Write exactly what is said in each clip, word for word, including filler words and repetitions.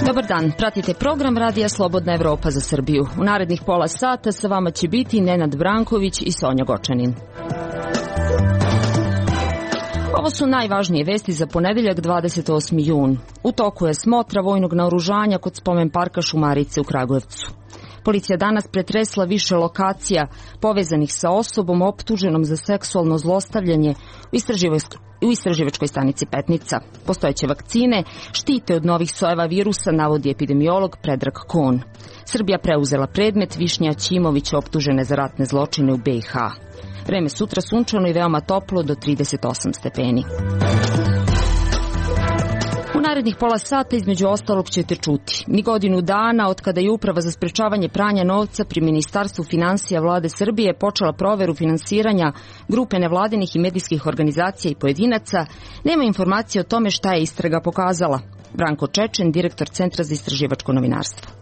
Dobar dan, pratite program Radija Slobodna Evropa za Srbiju. U narednih pola sata sa vama će biti Nenad Branković i Sonja Gočanin. Ovo su najvažnije vesti za ponedeljak dvadeset osmi jun. U toku je smotra vojnog naoružanja kod spomen parka Šumarice u Kragujevcu. Policija danas pretresla više lokacija povezanih sa osobom optuženom za seksualno zlostavljanje u istraživačkoj stanici Petnica. Postojeće vakcine štite od novih sojeva virusa, navodi epidemiolog Predrag Kon. Srbija preuzela predmet Višnja Ćimovića optužene za ratne zločine u be i ha. Vreme sutra sunčano i veoma toplo do trideset osam stepeni. U narednih pola sata između ostalog ćete čuti. Ni godinu dana od kada je Uprava za sprečavanje pranja novca pri Ministarstvu finansija Vlade Srbije počela proveru finansiranja grupe nevladinih i medijskih organizacija i pojedinaca, nema informacije o tome šta je istraga pokazala. Branko Čečen, direktor Centra za istraživačko novinarstvo.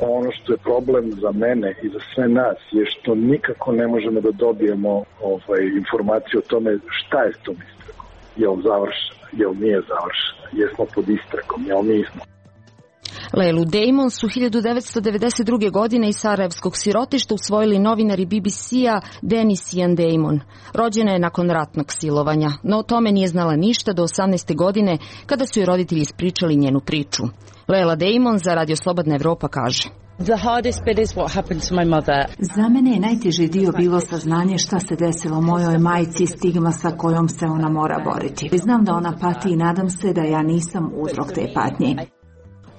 Ono što je problem za mene i za sve nas je što nikako ne možemo da dobijemo ovaj, informaciju o tome šta je s tom istragom. Je li završena, je li nije završena, jesmo pod istragom, je li nismo. Lejlu Damon su hiljadu devetsto devedeset druge. godine iz sarajevskog sirotišta usvojili novinari be be ce-a Dennis i Ian Damon. Rođena je nakon ratnog silovanja, no o tome nije znala ništa do osamnaeste. godine kada su joj roditelji ispričali njenu priču. Lejla Damon za Radio Slobodna Evropa kaže: Za mene je najteži dio bilo saznanje šta se desilo mojoj majci, stigma sa kojom se ona mora boriti. Znam da ona pati i nadam se da ja nisam uzrok te patnje.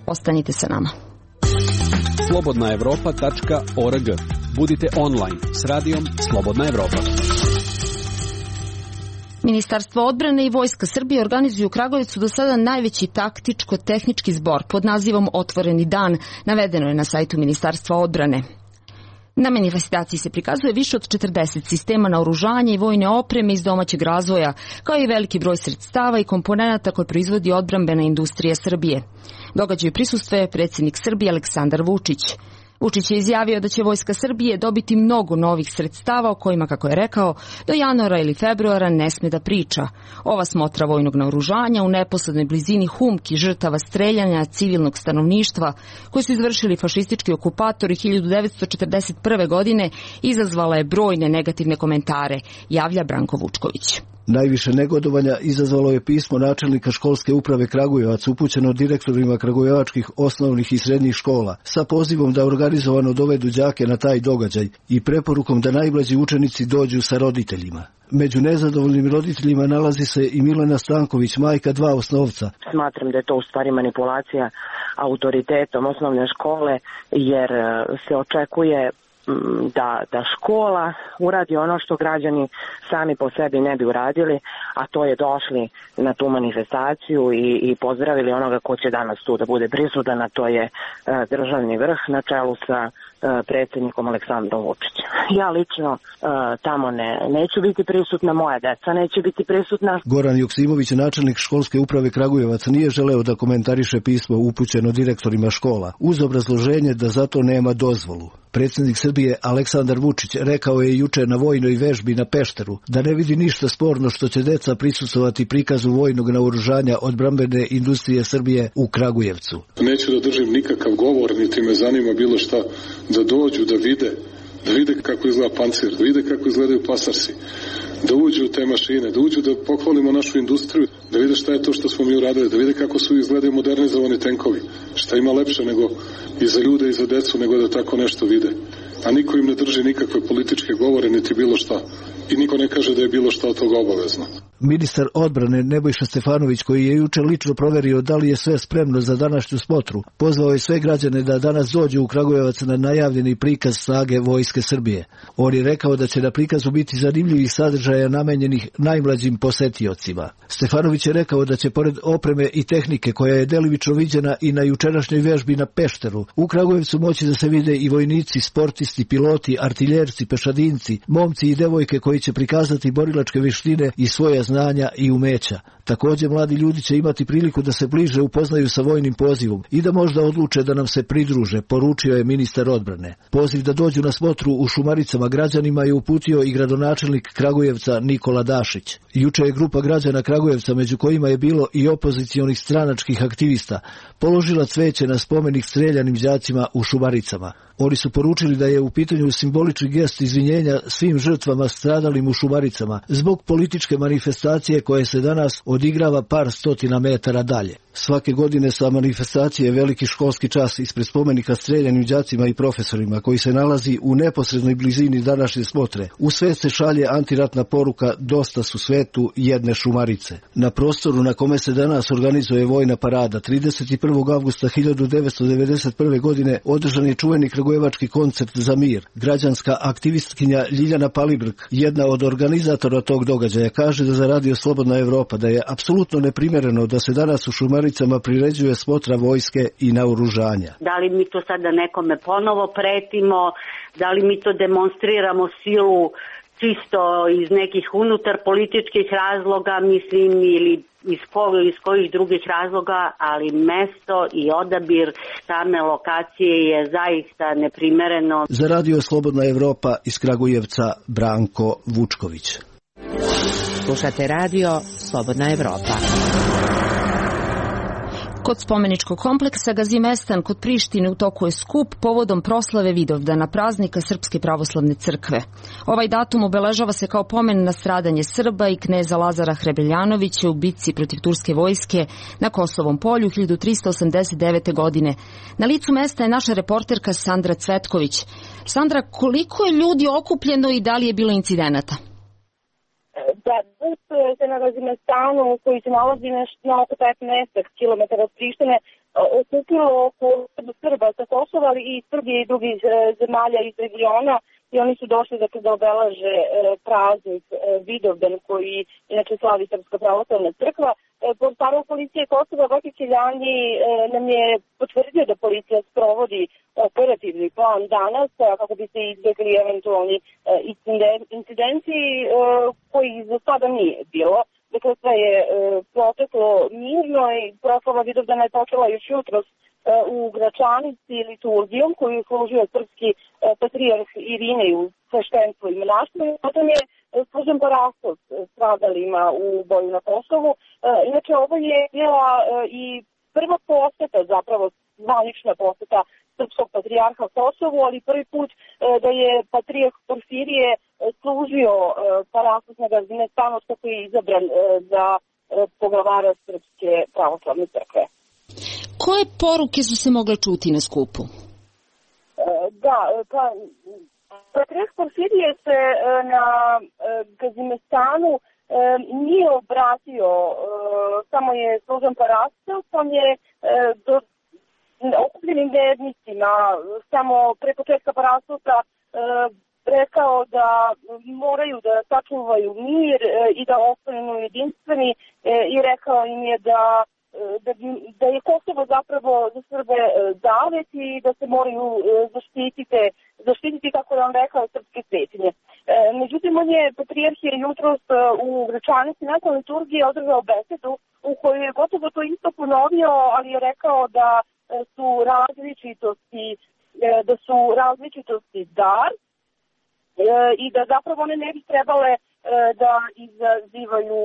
Ostanite sa nama. slobodna evropa tačka org. Budite online s radijom Slobodna Evropa. Ministarstvo odbrane i Vojska Srbije organizuju u Kragujevcu do sada najveći taktičko-tehnički zbor pod nazivom Otvoreni dan, navedeno je na sajtu Ministarstva odbrane. Na manifestaciji se prikazuje više od četrdeset sistema naoružanja i vojne opreme iz domaćeg razvoja, kao i veliki broj sredstava i komponenata koje proizvodi odbrambena industrija Srbije. Događaju prisustvuje predsjednik Srbije Aleksandar Vučić. Vučić je izjavio da će Vojska Srbije dobiti mnogo novih sredstava o kojima, kako je rekao, do januara ili februara ne sme da priča. Ova smotra vojnog naoružanja u neposrednoj blizini Humki, žrtava streljanja civilnog stanovništva koje su izvršili fašistički okupatori hiljadu devetsto četrdeset prve. godine izazvala je brojne negativne komentare, javlja Branko Vučković. Najviše negodovanja izazvalo je pismo načelnika školske uprave Kragujevac upućeno direktorima kragujevačkih osnovnih i srednjih škola sa pozivom da organizovano dovedu đake na taj događaj i preporukom da najmlađi učenici dođu sa roditeljima. Među nezadovoljnim roditeljima nalazi se i Milena Stanković, majka dva osnovca. Smatram da je to u stvari manipulacija autoritetom osnovne škole, jer se očekuje da, da škola uradi ono što građani sami po sebi ne bi uradili, a to je došli na tu manifestaciju i, i pozdravili onoga ko će danas tu da bude prisutan, a to je uh, državni vrh na čelu sa uh, predsjednikom Aleksandrom Vučićem. Ja lično uh, tamo ne, neću biti prisutna, moja deca neće biti prisutna. Goran Joksimović, načelnik školske uprave Kragujevac, nije želeo da komentariše pismo upućeno direktorima škola, uz obrazloženje da zato nema dozvolu. Predsjednik Srbije Aleksandar Vučić rekao je juče na vojnoj vežbi na Pešteru da ne vidi ništa sporno što će deca prisustvovati prikazu vojnog naoružanja odbrambene industrije Srbije u Kragujevcu. Neću da držim nikakav govor, niti me zanima bilo šta, da dođu, da vide, da vide kako izgleda pancir, da vide kako izgledaju pasarsi, da uđu u te mašine, da uđu da pohvalimo našu industriju, da vide šta je to što smo mi uradili, da vide kako su izgledaju modernizovani tenkovi, šta ima lepše nego i za ljude i za decu nego da tako nešto vide. A niko im ne drži nikakve političke govore niti bilo šta. I niko ne kaže da je bilo šta od toga obavezno. Ministar odbrane Nebojša Stefanović, koji je juče lično proverio da li je sve spremno za današnju smotru, pozvao je sve građane da danas dođu u Kragujevac na najavljeni prikaz snage Vojske Srbije. On je rekao da će na prikazu biti zanimljivih sadržaja namenjenih najmlađim posetiocima. Stefanović je rekao da će pored opreme i tehnike koja je delimično viđena i na jučerašnjoj vežbi na Pešteru, u Kragujevcu moći da se vide i vojnici, sportisti, piloti, artiljerci, pešadinci, momci i devojke koji će prikazati borilačke vještine i svoja znanja znanja i umeća. Također mladi ljudi će imati priliku da se bliže upoznaju sa vojnim pozivom i da možda odluče da nam se pridruže, poručio je ministar odbrane. Poziv da dođu na smotru u Šumaricama građanima je uputio i gradonačelnik Kragujevca Nikola Dašić. Juče je grupa građana Kragujevca, među kojima je bilo i opozicionih stranačkih aktivista, položila cveće na spomenik streljanim đacima u Šumaricama. Oni su poručili da je u pitanju simbolični gest izvinjenja svim žrtvama stradalim u Šumaricama zbog političke manifestacije koje se danas odigrava par stotina metara dalje. Svake godine sa manifestacije veliki školski čas ispred spomenika streljanim đacima i profesorima koji se nalazi u neposrednoj blizini današnje smotre. U svet se šalje antiratna poruka Dosta su svetu jedne Šumarice. Na prostoru na kome se danas organizuje vojna parada trideset prvog avgusta hiljadu devetsto devedeset prve. godine održan je čuveni kragujevački koncert za mir. Građanska aktivistkinja Ljiljana Palibrk, jedna od organizatora tog događaja, kaže da za Radio Slobodna Evropa da je apsolutno neprimereno da se danas u Šumaricama priređuje smotra vojske i naoružanja. Da li mi to sada nekome ponovo pretimo, da li mi to demonstriramo silu čisto iz nekih unutar političkih razloga, mislim, ili iz, ko, iz kojih drugih razloga, ali mesto i odabir same lokacije je zaista neprimereno. Za Radio Slobodna Evropa iz Kragujevca Branko Vučković. Slušate Radio Slobodna Evropa. Kod spomeničkog kompleksa Gazimestan kod Prištine u toku je skup povodom proslave Vidovdana, praznika Srpske pravoslavne crkve. Ovaj datum obeležava se kao pomen na stradanje Srba i kneza Lazara Hrebeljanovića u bitci protiv turske vojske na Kosovom polju hiljadu tristo osamdeset devete. godine. Na licu mesta je naša reporterka Sandra Cvetković. Sandra, koliko je ljudi okupljeno i da li je bilo incidenata? Da, se na Gazimestanu koji se nalazi na oko petnaest kilometara od Prištine okupilo oko Srba sa Kosova, ali i Srbije i drugih zemalja iz regiona, i oni su došli dakle, da obeleže praznik Vidovdan koji inače slavi Srpska pravoslavna crkva. Portparol policije Kosova Vojke Kiljanji nam je potvrdio da policija sprovodi operativni plan danas kako bi se izbjegli eventualni incidenti koji za sada nije bilo. Dakle, sve je proteklo mirno i proslava Vidovdana je počela još jutros u Gračanici liturgijom koju je služio srpski patrijarh Irinej u sveštenstvu i monaštvu. Potom je služen parastos stradalima u boju na Kosovu. Inače, ovo je bila i prva poseta, zapravo zvanična poseta srpskog patrijarha Kosovu, ali prvi put da je patrijarh Porfirije služio parastos na Gazimestanu kako je izabran za poglavara Srpske pravoslavne crkve. Koje poruke su se mogle čuti na skupu? Da, pa patrijarh Porfirije se na Gazimestanu nije obratio, samo je služen parastos, on je do okupljenim vernicima samo pre početka parastosa rekao da moraju da sačuvaju mir i da ostanu jedinstveni i rekao im je da Da, da je Kosovo zapravo za Srbe zavet i da se moraju zaštititi, zaštititi kako je on rekao, srpske svetinje. E, međutim, on je patrijarh je jutros u Gračanici nakon liturgije održao besedu u kojoj je gotovo to isto ponovio, ali je rekao da su različitosti, da su različitosti dar e, i da zapravo one ne bi trebale da izazivaju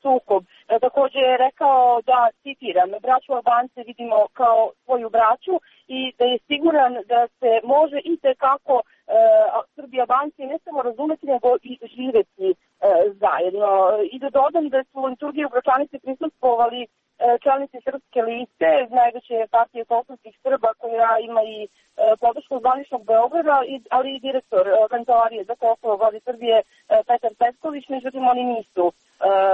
sukob. Također je rekao da, citiram, braću Albance vidimo kao svoju braću i da je siguran da se može i tekako Srbi i Albanci ne samo razumeti, nego i živeti zajedno. I da dodam da su u liturgiji u Gračanici prisustvovali čelnici Srpske liste, najveće partije kosovskih Srba koja ima i podršku zvaničnog Beograda, ali i direktor Kancelarije za Kosovo Vlade Srbije Petar Petković, međutim oni nisu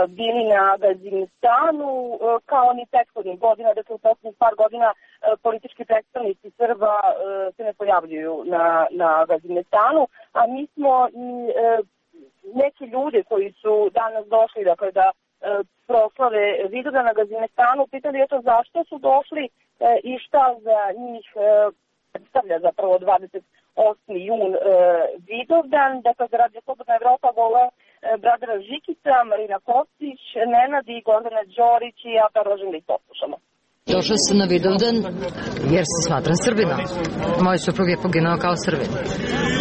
bili na Gazimestanu kao ni prethodnih godina, dakle u poslednjih par godina politički predstavnici Srba se ne pojavljuju na, na Gazimestanu, a mi smo i neki ljude koji su danas došli, dakle da proslave Vidovdan na Gazimestanu, pitali eto zašto su došli i šta za njih predstavlja zapravo dvadeset osmi jun Vidovdan. Dakle, za Radio Slobodna Evropa Bradara Žikica, Marina Kostić, Nenad i Gordana Đorić i ja predlažem da ih poslušamo. Došla sam na Vidovdan jer se smatram Srbinom. Moj suprug je poginao kao Srbin.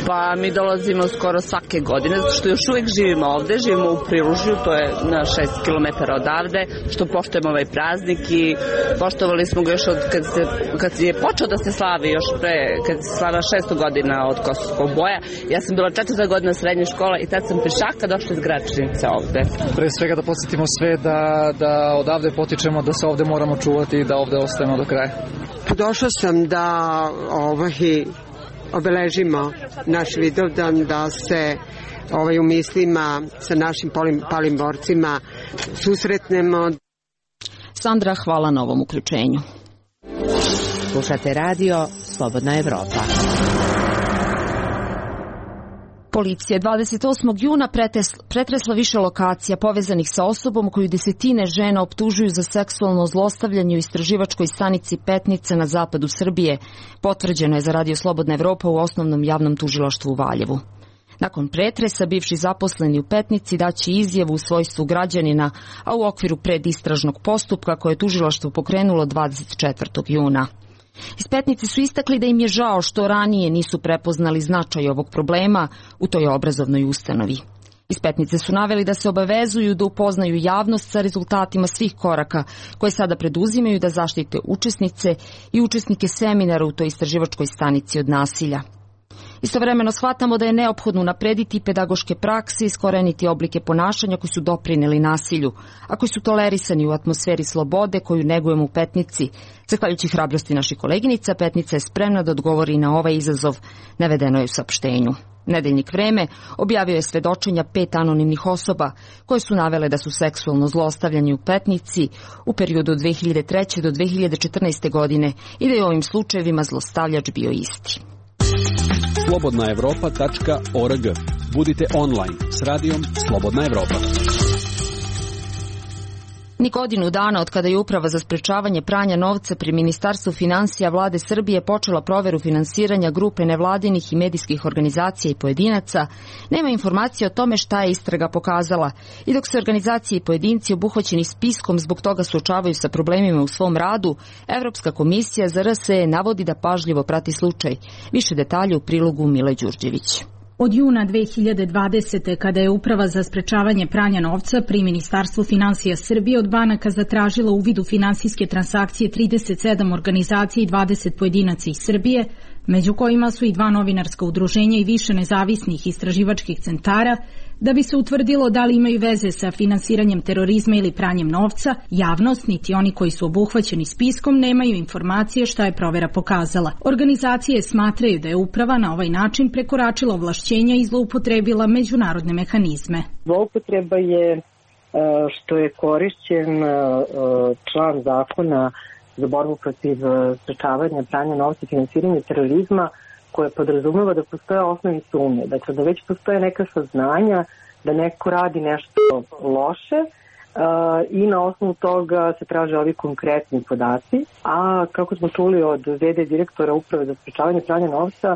Pa mi dolazimo skoro svake godine, zato što još uvijek živimo ovde, živimo u Prilužju, to je na šest kilometara odavde, što poštujemo ovaj praznik i poštovali smo ga još od kad, se, kad je počeo da se slavi, još pre, kad se slava šesto godina od Kosovskog boja. Ja sam bila četvrta godina srednje škole i tad sam pešaka došla iz Gračnice ovde. Pre svega da podsjetimo sve da, da odavde potičemo, da se ovde moramo čuvati i da ovde ostajemo do kraja. Došla sam da ovaj, obeležimo naš Vidovdan, da se ovaj, u mislima sa našim palim, palim borcima susretnemo. Sandra, hvala na ovom uključenju. Slušate radio Slobodna Evropa. Policija je dvadeset osmog juna pretresla više lokacija povezanih sa osobom koju desetine žena optužuju za seksualno zlostavljanje u istraživačkoj stanici Petnica na zapadu Srbije. Potvrđeno je za Radio Slobodna Evropa u osnovnom javnom tužilaštvu u Valjevu. Nakon pretresa, bivši zaposleni u Petnici daće izjavu u svojstvu građanina, a u okviru predistražnog postupka koje je tužilaštvo pokrenulo dvadeset četvrtog juna. Iz Petnice su istakli da im je žao što ranije nisu prepoznali značaj ovog problema u toj obrazovnoj ustanovi. Iz Petnice su naveli da se obavezuju da upoznaju javnost sa rezultatima svih koraka koje sada preduzimaju da zaštite učesnice i učesnike seminara u toj istraživačkoj stanici od nasilja. Istovremeno shvatamo da je neophodno unaprediti pedagoške prakse i iskoreniti oblike ponašanja koji su doprineli nasilju, a koji su tolerisani u atmosferi slobode koju negujemo u Petnici. Zahvaljujući hrabrosti naših koleginica, Petnica je spremna da odgovori na ovaj izazov, navedeno je u saopštenju. Nedeljnik Vreme objavio je svedočenja pet anonimnih osoba koje su navele da su seksualno zlostavljani u Petnici u periodu od dve hiljade treće do dve hiljade četrnaeste godine i da je u ovim slučajevima zlostavljač bio isti. slobodna evropa tačka org. Budite online s radijom Slobodna Evropa. Ni godinu dana od kada je Uprava za sprečavanje pranja novca pri Ministarstvu finansija Vlade Srbije počela proveru finansiranja grupe nevladinih i medijskih organizacija i pojedinaca, nema informacije o tome šta je istraga pokazala. I dok se organizacije i pojedinci obuhvaćeni spiskom zbog toga suočavaju sa problemima u svom radu, Evropska komisija za R S E navodi da pažljivo prati slučaj. Više detalja u prilogu Mile Đurđević. Od juna dve hiljade dvadesete. kada je Uprava za sprečavanje pranja novca pri Ministarstvu finansija Srbije od banaka zatražila uvid u finansijske transakcije trideset sedam organizacija i dvadeset pojedinaca iz Srbije, među kojima su i dva novinarska udruženja i više nezavisnih istraživačkih centara, da bi se utvrdilo da li imaju veze sa finansiranjem terorizma ili pranjem novca, javnost, niti oni koji su obuhvaćeni spiskom, nemaju informacije šta je provera pokazala. Organizacije smatraju da je uprava na ovaj način prekoračila ovlašćenja i zloupotrebila međunarodne mehanizme. Zloupotreba je što je korišćen član zakona za borbu protiv sprečavanja pranja novca i finansiranja terorizma, koje podrazumeva da postoje osnovne sumnje, dakle da već postoje neka saznanja da neko radi nešto loše uh, i na osnovu toga se traže ovi konkretni podaci, a kako smo čuli od v d direktora Uprave za sprečavanje pranja novca,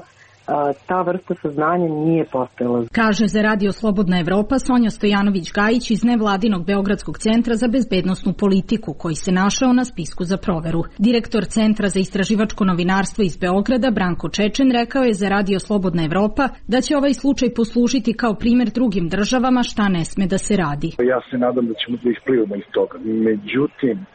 ta vrsta saznanja nije postojala. Kaže za Radio Slobodna Evropa Sonja Stojanović-Gajić iz nevladinog Beogradskog centra za bezbednosnu politiku, koji se našao na spisku za proveru. Direktor Centra za istraživačko novinarstvo iz Beograda, Branko Čečen, rekao je za Radio Slobodna Evropa da će ovaj slučaj poslužiti kao primer drugim državama šta ne sme da se radi. Ja se nadam da ćemo da isplivamo iz toga. Međutim,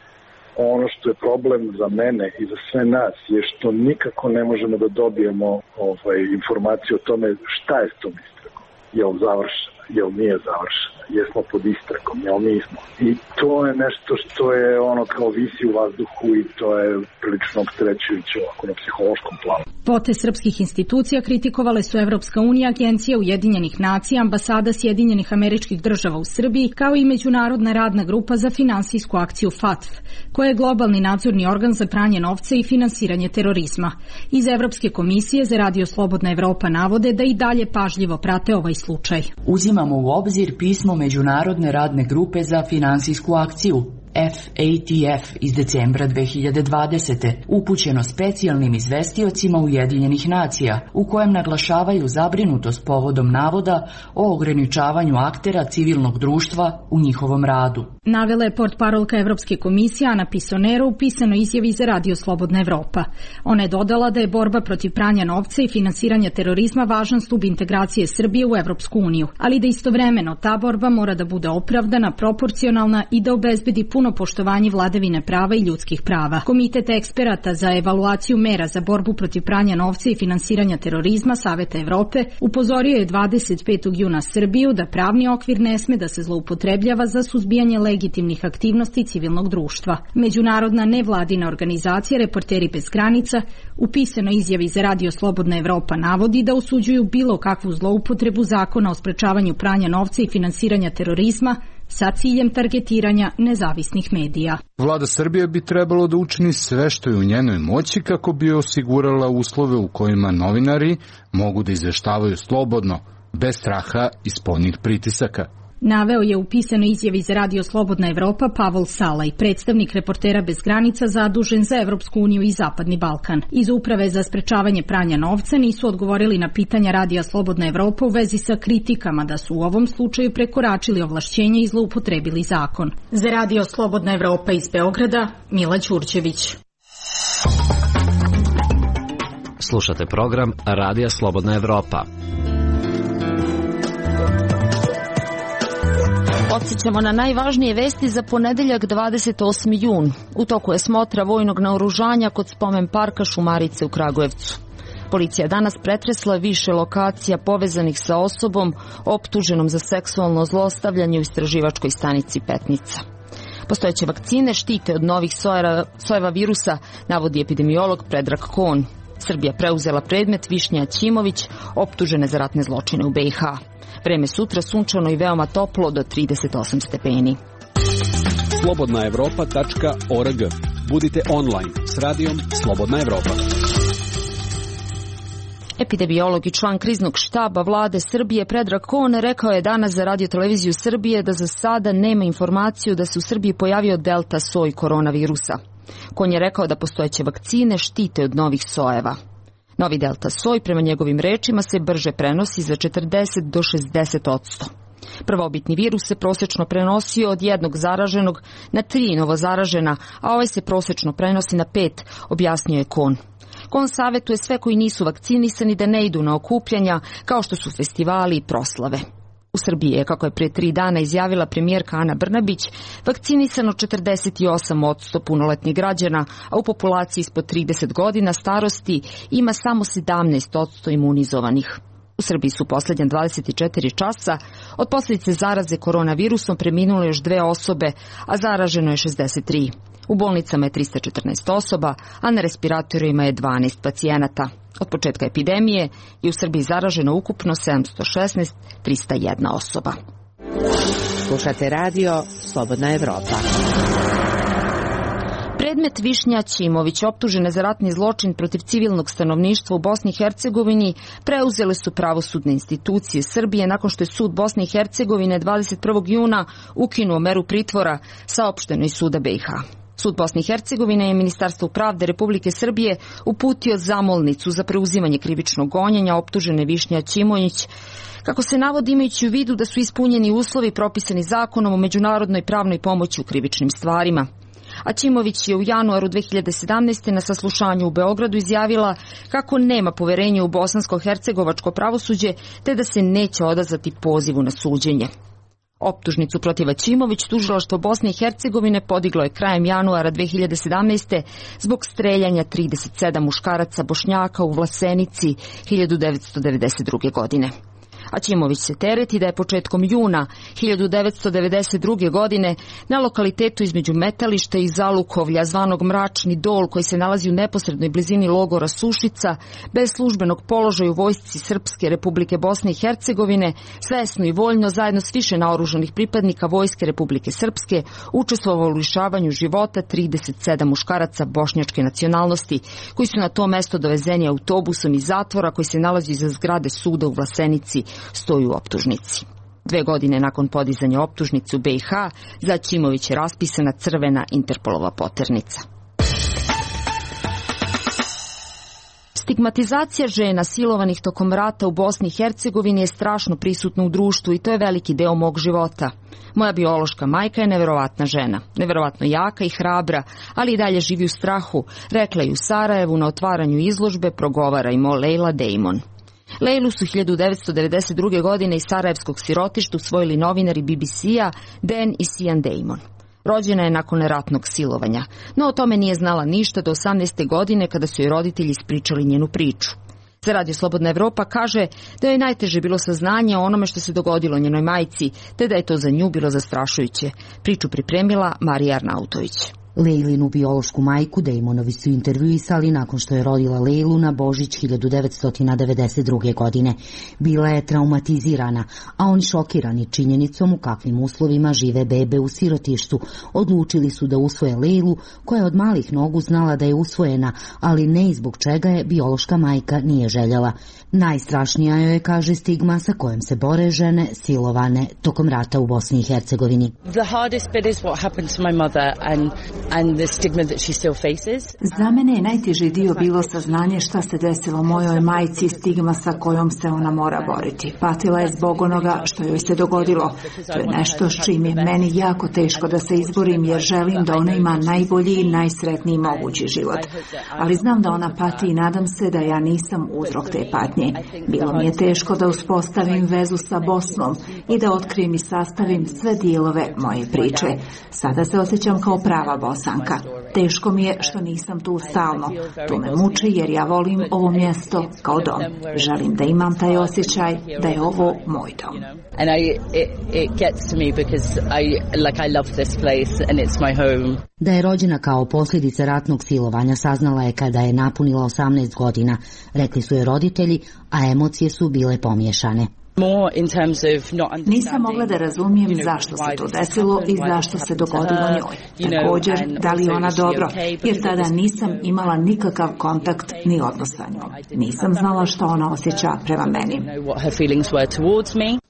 ono što je problem za mene i za sve nas je što nikako ne možemo da dobijemo ovaj, informaciju o tome šta je s tom istragom. Je li završena, je li nije završena, jesmo pod istragom, je li nismo. I to je nešto što je ono kao visi u vazduhu i to je prilično opterećujuće ovako na psihološkom planu. Pote srpskih institucija kritikovale su Evropska unija, Agencija Ujedinjenih nacija, ambasada Sjedinjenih Američkih Država u Srbiji, kao i Međunarodna radna grupa za finansijsku akciju F A T F, koja je globalni nadzorni organ za pranje novca i finansiranje terorizma. Iz Evropske komisije za Radio Slobodna Evropa navode da i dalje pažljivo prate ovaj slučaj. Uzimamo u obzir pismo Međunarodne radne grupe za finansijsku akciju F A T F iz decembra dve hiljade dvadesete upućeno specijalnim izvestiocima Ujedinjenih nacija, u kojem naglašavaju zabrinutost povodom navoda o ograničavanju aktera civilnog društva u njihovom radu. Navela je portparolka Evropske komisije Ana Pisonero u pisanoj izjavi za Radio Slobodna Evropa. Ona je dodala da je borba protiv pranja novca i finansiranja terorizma važan stub integracije Srbije u Evropsku uniju, ali da istovremeno ta borba mora da bude opravdana, proporcionalna i da obezbedi puno poštovanje vladavine prava i ljudskih prava. Komitet eksperata za evaluaciju mera za borbu protiv pranja novca i finansiranja terorizma Saveta Evrope upozorio je dvadeset petog juna Srbiju da pravni okvir ne sme da se zloupotrebljava za suzbijanje legitimnih aktivnosti civilnog društva. Međunarodna nevladina organizacija Reporteri bez granica u pisanoj izjavi za Radio Slobodna Evropa navodi da osuđuju bilo kakvu zloupotrebu zakona o sprečavanju pranja novca i finansiranja terorizma sa ciljem targetiranja nezavisnih medija. Vlada Srbije bi trebalo da učini sve što je u njenoj moći kako bi osigurala uslove u kojima novinari mogu da izveštavaju slobodno, bez straha i spoljnih pritisaka. Naveo je u pisanoj izjavi za Radio Slobodna Evropa Pavol Salaj, predstavnik Reportera bez granica zadužen za Evropsku uniju i Zapadni Balkan. Iz Uprave za sprečavanje pranja novca nisu odgovorili na pitanja Radija Slobodna Evropa u vezi sa kritikama da su u ovom slučaju prekoračili ovlašćenje i zloupotrebili zakon. Za Radio Slobodna Evropa iz Beograda, Mila Ćurćević. Slušate program Radija Slobodna Evropa. Podsjećamo na najvažnije vesti za ponedeljak dvadeset osmi jun. U toku je smotra vojnog naoružanja kod spomen parka Šumarice u Kragujevcu. Policija je danas pretresla više lokacija povezanih sa osobom optuženom za seksualno zlostavljanje u istraživačkoj stanici Petnica. Postojeće vakcine štite od novih sojeva, sojeva virusa, navodi epidemiolog Predrag Kon. Srbija preuzela predmet Višnja Ćimović, optužene za ratne zločine u B i H. Vreme sutra sunčano i veoma toplo do trideset osam stepeni. slobodna evropa tačka org. Budite online s radijom Slobodna Evropa. Epidemiolog i član kriznog štaba vlade Srbije Predrag Kon rekao je danas za Radio televiziju Srbije da za sada nema informaciju da se u Srbiji pojavio delta soj koronavirusa. Kon je rekao da postojeće vakcine štite od novih sojeva. Novi delta soj, prema njegovim rečima, se brže prenosi za četrdeset do šezdeset odsto. Prvobitni virus se prosečno prenosio od jednog zaraženog na tri novo zaražena, a ovaj se prosečno prenosi na pet, objasnio je Kon. Kon savjetuje sve koji nisu vakcinisani da ne idu na okupljanja, kao što su festivali i proslave. U Srbiji je, kako je prije tri dana izjavila premijerka Ana Brnabić, vakcinisano četrdeset osam odsto punoletnih građana, a u populaciji ispod trideset godina starosti ima samo sedamnaest odsto imunizovanih. U Srbiji su posljednja dvadeset četiri časa od posljedice zaraze koronavirusom preminule još dve osobe, a zaraženo je šezdeset tri. U bolnicama je trista četrnaest osoba, a na respiratorima je dvanaest pacijenata. Od početka epidemije je u Srbiji zaraženo ukupno sedamsto šesnaest hiljada trista jedna osoba. Slušate radio Slobodna Evropa. Predmet Višnja Ćimović, optužene za ratni zločin protiv civilnog stanovništva u Bosni i Hercegovini, preuzele su pravosudne institucije Srbije nakon što je sud Bosne i Hercegovine dvadeset prvog juna ukinuo meru pritvora, saopšteno iz suda B i H. Sud Bosne i Hercegovine je Ministarstvu pravde Republike Srbije uputio zamolnicu za preuzimanje krivičnog gonjenja optužene Višnja Ćimović, kako se navodi imajući u vidu da su ispunjeni uslovi propisani zakonom o međunarodnoj pravnoj pomoći u krivičnim stvarima. A Ćimović je u januaru dve hiljade sedamnaeste. na saslušanju u Beogradu izjavila kako nema poverenja u bosansko-hercegovačko pravosuđe te da se neće odazvati pozivu na suđenje. Optužnicu protiv Ćimović tužilaštvo Bosne i Hercegovine podiglo je krajem januara dve hiljade sedamnaeste. zbog streljanja trideset sedam muškaraca Bošnjaka u Vlasenici hiljadu devetsto devedeset druge. godine. A Ćimović se tereti da je početkom juna hiljadu devetsto devedeset druge. godine na lokalitetu između Metališta i Zalukovlja, zvanog Mračni dol, koji se nalazi u neposrednoj blizini logora Sušica, bez službenog položaja u vojsci Srpske Republike Bosne i Hercegovine, svesno i voljno zajedno s više naoružanih pripadnika Vojske Republike Srpske učestvovao u lišavanju života trideset sedam muškaraca bošnjačke nacionalnosti, koji su na to mesto dovezeni autobusom iz zatvora koji se nalazi iza zgrade suda u Vlasenici, stoji u optužnici. Dve godine nakon podizanja optužnice u B i H, za Ćimović je raspisana crvena Interpolova poternica. Stigmatizacija žena silovanih tokom rata u Bosni i Hercegovini je strašno prisutna u društvu i to je veliki deo mog života. Moja biološka majka je neverovatna žena, neverovatno jaka i hrabra, ali i dalje živi u strahu, rekla je u Sarajevu na otvaranju izložbe Progovara im o Leila Damon. Leilu su hiljadu devetsto devedeset druge. godine iz sarajevskog sirotišta usvojili novinari B B C-a Dan i Sian Damon. Rođena je nakon ratnog silovanja, no o tome nije znala ništa do osamnaeste. godine kada su joj roditelji ispričali njenu priču. Za Radio Slobodna Evropa kaže da je najteže bilo saznanje o onome što se dogodilo njenoj majci, te da je to za nju bilo zastrašujuće. Priču pripremila Marija Arnautović. Leilinu biološku majku Damonovi su intervjuisali nakon što je rodila Leilu na Božić hiljadu devetsto devedeset druge. godine. Bila je traumatizirana, a oni šokirani činjenicom u kakvim uslovima žive bebe u sirotištu, odlučili su da usvoje Leilu, koja je od malih nogu znala da je usvojena, ali ne i zbog čega je biološka majka nije željela. Najstrašnija joj je, kaže, stigma sa kojom se bore žene silovane tokom rata u Bosni i Hercegovini. The hardest bit is what happened to my mother and and the stigma that she still faces. Za mene je najteži dio bilo saznanje šta se desilo mojoj majci i stigma sa kojom se ona mora boriti. Patila je zbog onoga što joj se dogodilo. To je nešto s čim je meni jako teško da se izborim, jer želim da ona ima najbolji i najsretniji mogući život. Ali znam da ona pati i nadam se da ja nisam uzrok te patnje. Bilo mi je teško da uspostavim vezu sa Bosnom i da otkrijem i sastavim sve dijelove moje priče. Sada se osjećam kao prava Bosanka. Teško mi je što nisam tu stalno. To me muči jer ja volim ovo mjesto kao dom. Želim da imam taj osjećaj da je ovo moj dom. And I, it, it gets to me because I, like, I love this place and it's my home. Da je rođena kao posljedica ratnog silovanja saznala je kada je napunila osamnaest godina, rekli su je roditelji, a emocije su bile pomiješane. Nisam mogla da razumijem zašto se to desilo i zašto se dogodilo njoj. Također, da li ona dobro, jer tada nisam imala nikakav kontakt ni odnos sa njom. Nisam znala što ona osjeća prema meni.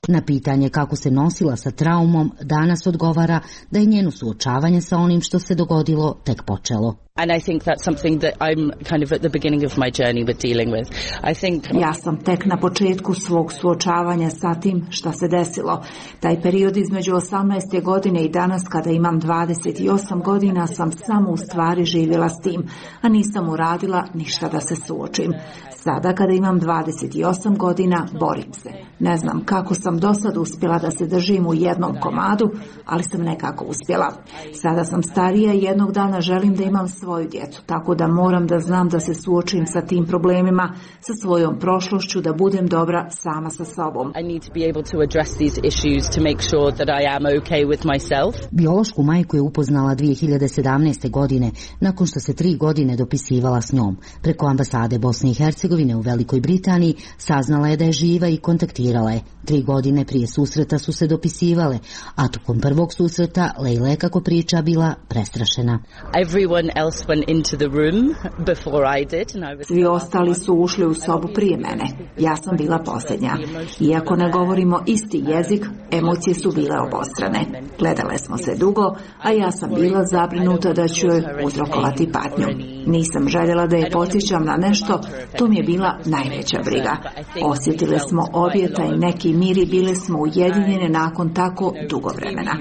Na pitanje kako se nosila sa traumom, danas odgovara da je njeno suočavanje sa onim što se dogodilo tek počelo. And I think that's something that I'm kind of at the beginning of my journey with dealing with. I think Ja sam tek na početku svog suočavanja sa tim šta se desilo. Taj period između osamnaeste. godine i danas kada imam dvadeset osam godina sam samo u stvari živjela s tim, a nisam uradila ništa da se suočim. Sada kada imam dvadeset osam godina borim se. Ne znam kako sam do sad uspjela da se držim u jednom komadu, ali sam nekako uspjela. Sada sam starija i jednog dana želim da imam svoju djecu, tako da moram da znam da se suočim sa tim problemima, sa svojom prošlošću, da budem dobra sama sa sobom. I need to be able to address these issues to make sure that I am okay with myself. Biološku majku je upoznala dvije hiljade sedamnaeste. godine, nakon što se tri godine dopisivala s njom. Preko ambasade Bosne i Hercegovine u Velikoj Britaniji saznala je da je živa i kontaktirala je. Tri godine prije susreta su se dopisivale, a tokom prvog susreta Leila je, kako priča, bila prestrašena. Everyone else went into the room before I did, and I was... Svi ostali su ušli u sobu prije mene. Ja sam bila posljednja. Iako ne govorimo isti jezik, emocije su bile obostrane. Gledale smo se dugo, a ja sam bila zabrinuta da ću joj uzrokovati patnju. Nisam željela da je podsjećam na nešto, to mi je bila najveća briga. Osjetile smo obje taj neki mir i bile smo ujedinjene nakon tako dugo vremena.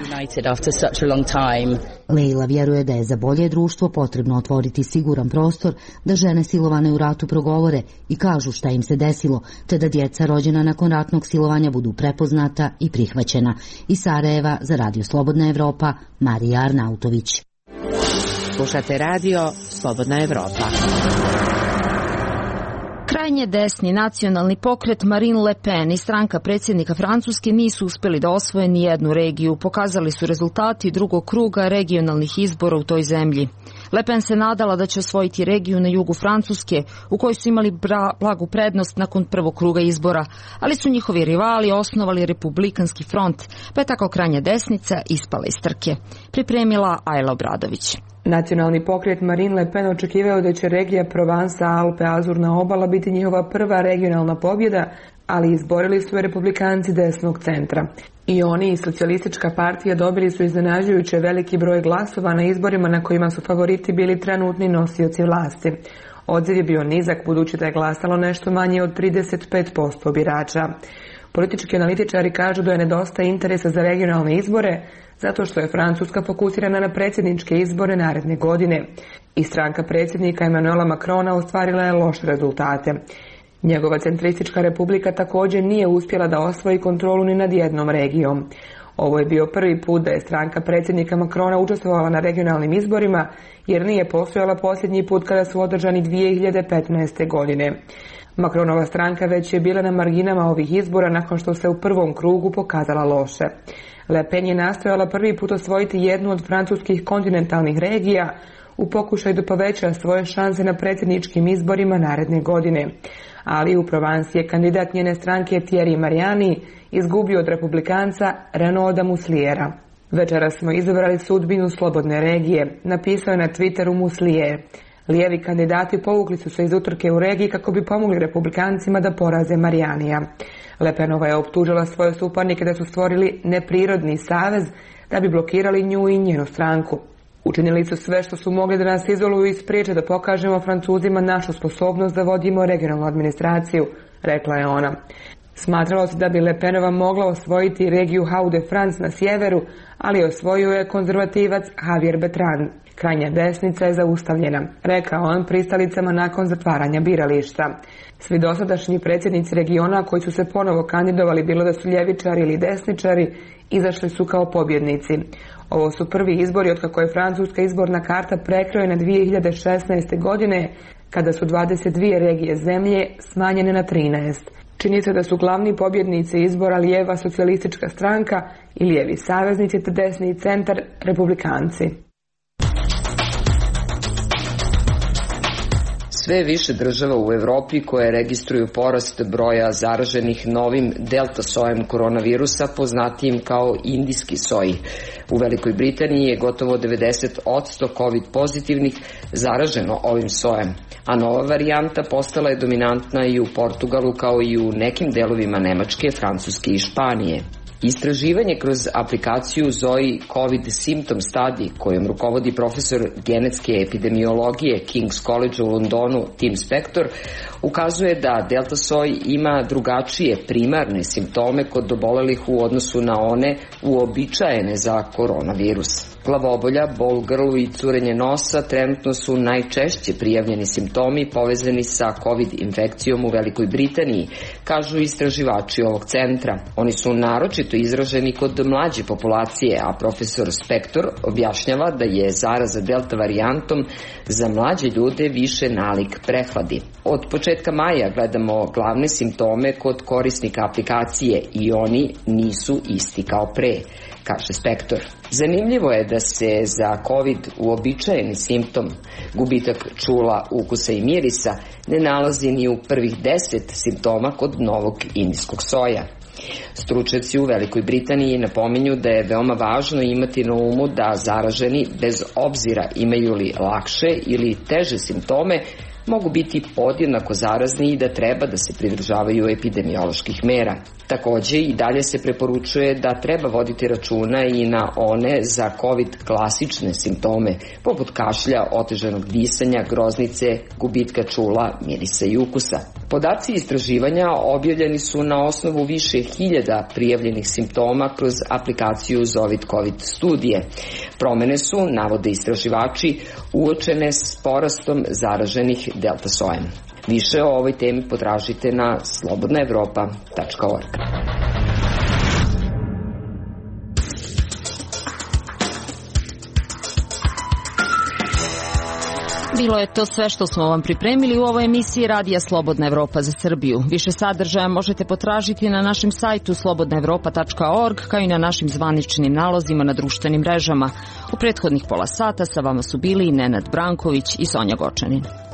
Leila vjeruje da je za bolje društvo potrebno otvoriti siguran prostor da žene silovane u ratu progovore i kažu šta im se desilo, te da djeca rođena nakon ratnog silovanja budu prepoznata i prihvaćena. Iz Sarajeva za Radio Slobodna Evropa, Marija Arnautović. Slušate radio Slobodna Evropa. Krajnje desni nacionalni pokret Marine Le Pen i stranka predsjednika Francuske nisu uspjeli da osvoje ni jednu regiju. Pokazali su rezultati drugog kruga regionalnih izbora u toj zemlji. Le Pen se nadala da će osvojiti regiju na jugu Francuske, u kojoj su imali blagu prednost nakon prvog kruga izbora, ali su njihovi rivali osnovali Republikanski front, pa je tako krajnja desnica ispala iz trke. Pripremila Ajla Obradović. Nacionalni pokret Marine Le Pen očekivao da će regija Provansa, Alpe, Azurna obala biti njihova prva regionalna pobjeda, ali izborili su je republikanci desnog centra. I oni i socijalistička partija dobili su iznenađujuće veliki broj glasova na izborima na kojima su favoriti bili trenutni nosioci vlasti. Odziv je bio nizak budući da je glasalo nešto manje od trideset pet posto birača. Politički analitičari kažu da je nedostaje interesa za regionalne izbore zato što je Francuska fokusirana na predsjedničke izbore naredne godine. I stranka predsjednika Emmanuela Macrona ostvarila je loše rezultate. Njegova centristička republika također nije uspjela da osvoji kontrolu ni nad jednom regijom. Ovo je bio prvi put da je stranka predsjednika Macrona učestvovala na regionalnim izborima, jer nije postojala posljednji put kada su održani dvije hiljade petnaeste. godine. Macronova stranka već je bila na marginama ovih izbora nakon što se u prvom krugu pokazala loše. Le Pen je nastojala prvi put osvojiti jednu od francuskih kontinentalnih regija u pokušaju da poveća svoje šanse na predsjedničkim izborima naredne godine. Ali u Provansi je kandidat njene stranke Thierry Mariani izgubio od republikanca Renaуда Musliera. Večeras smo izabrali sudbinu slobodne regije, napisao je na Twitteru Muslier. Lijevi kandidati povukli su se iz utrke u regiji kako bi pomogli republikancima da poraze Marianija. Le Penova je optužila svoje suparnike da su stvorili neprirodni savez da bi blokirali nju i njenu stranku. Učinili su sve što su mogli da nas izoluju i spriječe da pokažemo Francuzima našu sposobnost da vodimo regionalnu administraciju, rekla je ona. Smatralo se da bi Le Penova mogla osvojiti regiju Hauts-de-France na sjeveru, ali osvojio je konzervativac Javier Bertrand. Krajnja desnica je zaustavljena, rekao on pristalicama nakon zatvaranja birališta. Svi dosadašnji predsjednici regiona koji su se ponovo kandidovali, bilo da su ljevičari ili desničari, izašli su kao pobjednici. Ovo su prvi izbori otkako je francuska izborna karta prekrojena dvije hiljade šesnaeste. godine, kada su dvadeset dvije regije zemlje smanjene na trinaest. Čini se da su glavni pobjednici izbora lijeva socijalistička stranka i lijevi saveznici te desni centar republikanci. Sve više država u Evropi koje registruju porast broja zaraženih novim delta sojem koronavirusa, poznatijim kao indijski soj. U Velikoj Britaniji je gotovo devedeset posto COVID pozitivnih zaraženo ovim sojem, a nova varijanta postala je dominantna i u Portugalu kao i u nekim delovima Nemačke, Francuske i Španije. Istraživanje kroz aplikaciju Zoe COVID Symptom Study, kojom rukovodi profesor genetske epidemiologije King's College u Londonu Tim Spector, ukazuje da delta soj ima drugačije primarne simptome kod obolelih u odnosu na one uobičajene za koronavirus. Glavobolja, bol u grlu i curenje nosa trenutno su najčešće prijavljeni simptomi povezani sa COVID infekcijom u Velikoj Britaniji, kažu istraživači ovog centra. Oni su naročito izraženi kod mlađe populacije, a profesor Spector objašnjava da je zaraza delta varijantom za mlađe ljude više nalik prehladi. Od početka maja gledamo glavne simptome kod korisnika aplikacije i oni nisu isti kao pre, kaže Spector. Zanimljivo je da se za COVID uobičajeni simptom, gubitak čula, ukusa i mirisa, ne nalazi ni u prvih deset simptoma kod novog indijskog soja. Stručnjaci u Velikoj Britaniji napominju da je veoma važno imati na umu da zaraženi, bez obzira imaju li lakše ili teže simptome, mogu biti podjednako zarazni i da treba da se pridržavaju epidemioloških mera. Takođe i dalje se preporučuje da treba voditi računa i na one za COVID klasične simptome, poput kašlja, otežanog disanja, groznice, gubitka čula, mirisa i ukusa. Podaci istraživanja objavljeni su na osnovu više hiljada prijavljenih simptoma kroz aplikaciju Zovit COVID studije. Promene su, navode istraživači, uočene s porastom zaraženih delta sojem. Više o ovoj temi potražite na slobodna evropa tačka org. Bilo je to sve što smo vam pripremili u ovoj emisiji Radija Slobodna Evropa za Srbiju. Više sadržaja možete potražiti na našem sajtu slobodna evropa tačka org, kao i na našim zvaničnim nalozima na društvenim mrežama. U prethodnih pola sata sa vama su bili Nenad Branković i Sonja Gočanin.